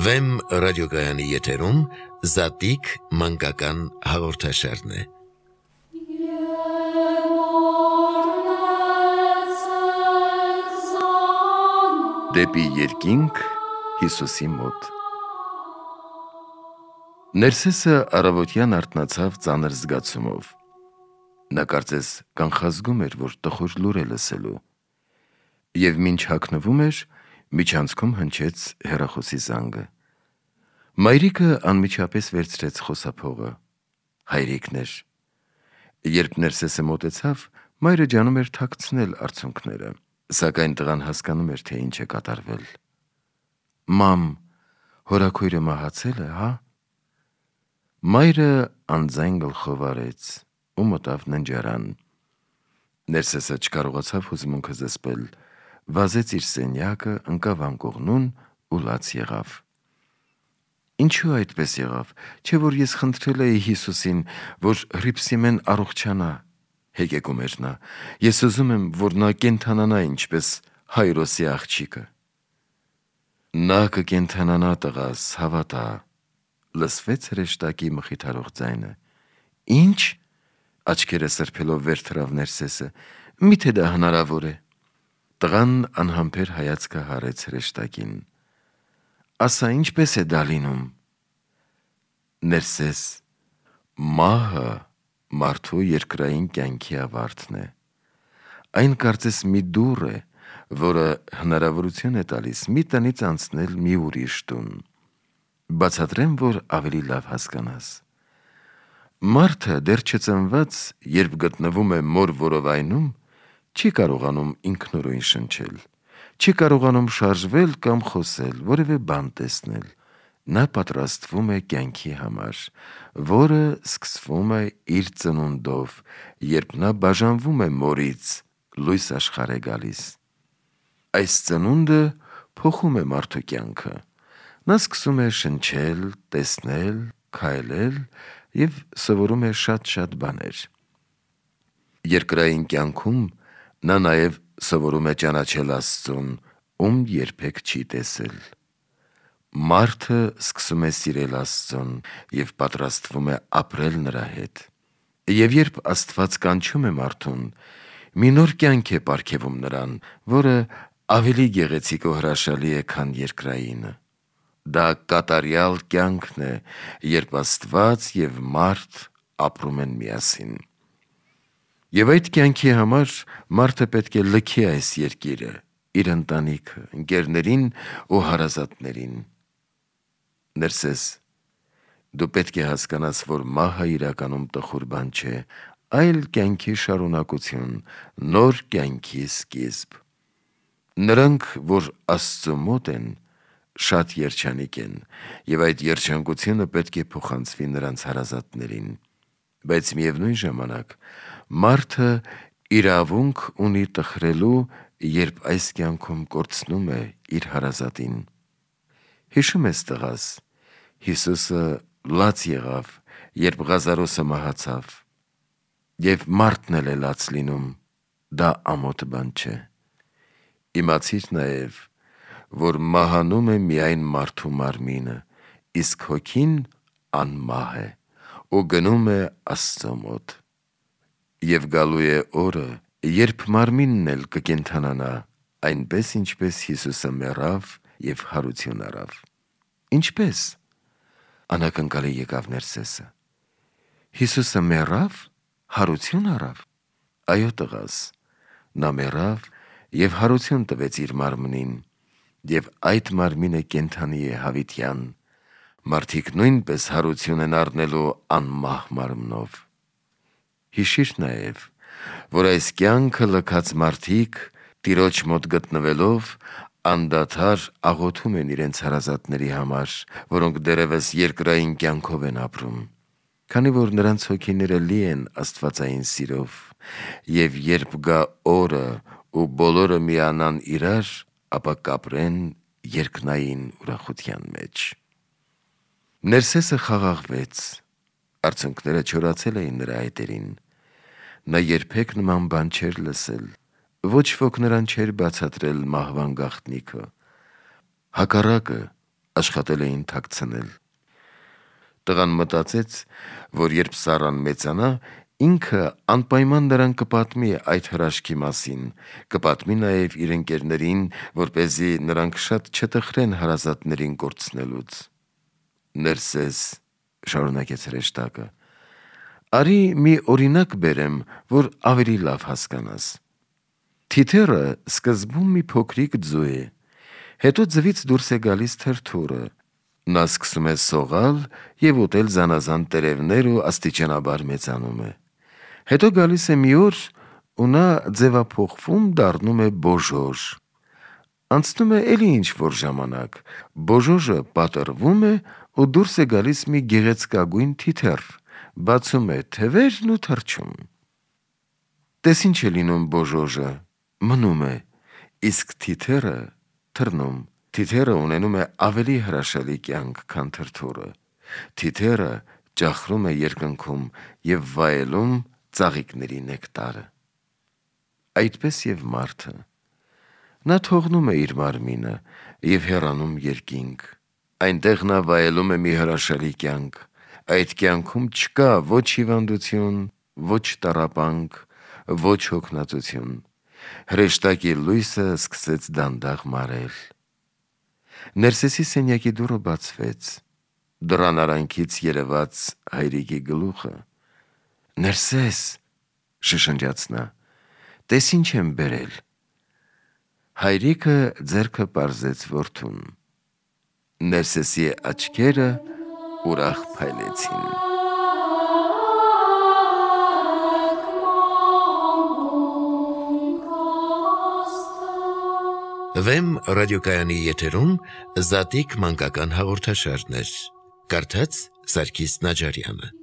Վեմ ռադիոգայանի եթերում Զատիկ մանկական հաղորդաշարն է։ Դեպի երկինք Հիսուսի մոտ։ Ներսեսը առավոտյան արթնացավ ծանր զգացումով։ Նա կարծես կանխազգում էր, որ տխուր լուր է լսելու, և մինչ հագնվում էր, միջանցքում հնչեց հեռախոսի զանգը։ Մայրիկը անմիջապես վերցրեց խոսափողը։ Հայրիկն էր։ Երբ Ներսեսը մոտեցավ, մայրը ջանում էր թաքցնել արցունքները, սակայն տղան հասկանում էր, թե ինչ է կատարվել։ «Մամ, հորաքույրը մահացել է, հա»։ Մայրը անձայն գլխով արեց ու մտավ ննջարան։ Ներսեսը չկարողացավ հուզմունքը զսպել, վազեց իր սենյակը, ընկավ անկողնուն ու լաց եղավ։ «Ինչու այդպես եղավ, չէ՞ որ ես խնդրել էի Հիսուսին, որ Հռիփսիմեն առողջանա», հեկեկում էր նա։ «Ես ուզում եմ, որ նա կենդանանա ինչպես Հայրոսի աղջիկը»։ «Նա կկենդանանա, տղաս, հավատա», լսվեց հրեշտակի մխիթարող ձայնը։ «Ի՞նչ», աչքերը սրբելով վեր թռավ Ներսեսը, «միթե դա հնարավոր է»։ Տղան անհամբեր հայացքը հառեց հրեշտակին։ «Ասա, ինչպես է դա լինում»։ Ներսես, մահը մարդու երկրային կյանքի ավարտն է։ Այն կարծես մի դուռ է, որը հնարավորություն է տալիս մի տնից անցնել մի ուրիշ տուն։ Բացատրեմ, որ ավելի լավ հասկանաս։ Մարդը դեռ չծնված, երբ գտնվում է մոր որովայնում, չի կարողանում ինքնուրույն շնչել, չի կարողանում շարժվել կամ խոսել, որևէ բան տեսնել։ Նա պատրաստվում է կյանքի համար, որը սկսվում է իր ծնունդով, երբ նա բաժանվում է մորից, լույս աշխարհ է գալիս։ Այս ծնունդը փոխում է մարդու կյանքը։ Նա սկսում է շնչել, տեսնել, քայլել և սովորում է շատ բաներ։ Երկրային կյանքում նա նաև սովորում է ճանաչել Աստծուն, ում երբեք չի տեսել։ Մարդը սկսում է սիրել Աստծուն և պատրաստվում է ապրել նրա հետ։ Եվ երբ Աստված կանչում է մարդուն, մի նոր կյանք է պարգևում նրան, որը ավելի գեղեցիկ ու հրաշալի է, քան երկրայինը։ Դա կատարյալ կյանքն է, երբ Աստված և մարդ ապրում են միասին։ Եվ այդ կյանքի համար մարդը պետք է լքի այս երկիրը, իր ընտանիքը, ընկերներին ու հարազատներին։ Ներսես, դու պետք է հասկանաս, որ մահը իրականում տխուր բան չէ, այլ կյանքի շարունակություն, նոր կյանքի սկիզբ։ Նրանք, որ Աստծու մոտ են, շատ երջանիկ են, և այդ երջանկությունը պետք է փոխանցվի նրանց հարազատներին։ Բայց միևնույն ժամանակ մարդը իրավունք ունի տխրելու, երբ այս կյանքում կորցնում է իր հարազատին։ Հիշո՞ւմ ես, տղաս, Հիսուսը լաց եղավ, երբ Ղազարոսը մահացավ, և մարդն էլ է լաց լինում, դա ամոթ բան չէ։ Իմացիր նաև, որ մահանում է միայն մարդու մարմինը, իսկ հոգին անմահ է ու գնում է Աստծո մոտ։ Եվ գալու է օրը, երբ մարմինն էլ կկենդանանա, այնպես ինչպես Հիսուսը մեռավ և հարություն առավ։ Ինչպե՞ս, անակնկալի եկավ Ներսեսը։ Հիսուսը մեռավ, հարություն առավ։ Այո, տղաս, նա մեռավ և հարություն տվեց իր մարմնին, և այդ մարմինը կենդանի է հավիտյան։ Մարդիկ նույնպես հարություն են առնելու անմահ մարմնով։ Հիշիր նաև, որ այս կյանքը լքած մարդիկ Տիրոջ մոտ գտնվելով անդադար աղոթում են իրենց հարազատների համար, որոնք դեռևս երկրային կյանքով են ապրում, քանի որ նրանց հոգիները լի են աստվածային սիրով, և երբ գա օրը ու բոլորը միանան իրար, ապա կապրեն երկնային ուրախության մեջ։ Ներսեսը խաղաղվեց, արցունքները չորացել էին նրա այտերին։ Նա երբեք նման բան չէր լսել, ոչ ոք նրան չէր բացատրել մահվան գաղտնիքը։ Հակառակը, աշխատել էին թաքցնել։ Տղան մտածեց, որ երբ Սառան մեծանա, ինքը անպայման նրան կպատմի այդ հրաշքի մասին, կպատմի նաև իր ընկերներին, որպեսզի նրանք շատ չտխրեն հարազատներին կորցնելուց։ Ներսես, շարունակեց հրեշտակը, արի մի օրինակ բերեմ, որ ավելի լավ հասկանաս։ Թիթեռը սկզբում մի փոքրիկ ձու է, հետո ձվից դուրս է գալիս թրթուրը, նա սկսում է սողալ և ուտել զանազան տերևներ ու աստիճանաբար մեծանում է։ Հետո գալիս է մի օր ու նա ձևափոխվում դառնում է բոժոժ։ Անցնում է էլի ինչ-որ ժամանակ, բոժոժը պատռվում է ու դուրս է գալիս մի գեղեցկագույն թիթեռ, բացում է թևերն ու թռչում։ Տես ինչ է լինում բոժոժը, մնում է, իսկ թիթեռը թռնում։ Թիթեռը ունենում է ավելի հրաշալի կյանք, քան թրթուրը։ Թիթեռը ճախրում է երկնքում և վայելում ծաղիկների նեկտարը։ Այդպես և մարդը։ Նա թողնում է իր մարմինը և հեռանում երկինք։ Այնտեղ նա վայելում է մի հրաշալի կյանք։ Այդ կյանքում չկա ոչ հիվանդություն, ոչ տառապանք, ոչ հոգնածություն։ Հրեշտակի լույսը սկսեց դանդաղ մարել։ Ներսեսի սենյակի դուռը բացվեց։ Դռան արանքից երևաց հայրիկի գլուխը։ Ներսես, շշնջաց նա, տես ինչ եմ բերել։ Հայրիկը ձեռքը պարզեց որդուն։ Ներսեսի աչքերը ուրախ փայլեցին։ Վեմ ռադիոկայանի եթերում Զատիկ մանկական հաղորդաշարներ։ Կարդաց Սարգիս Նաջարյանը։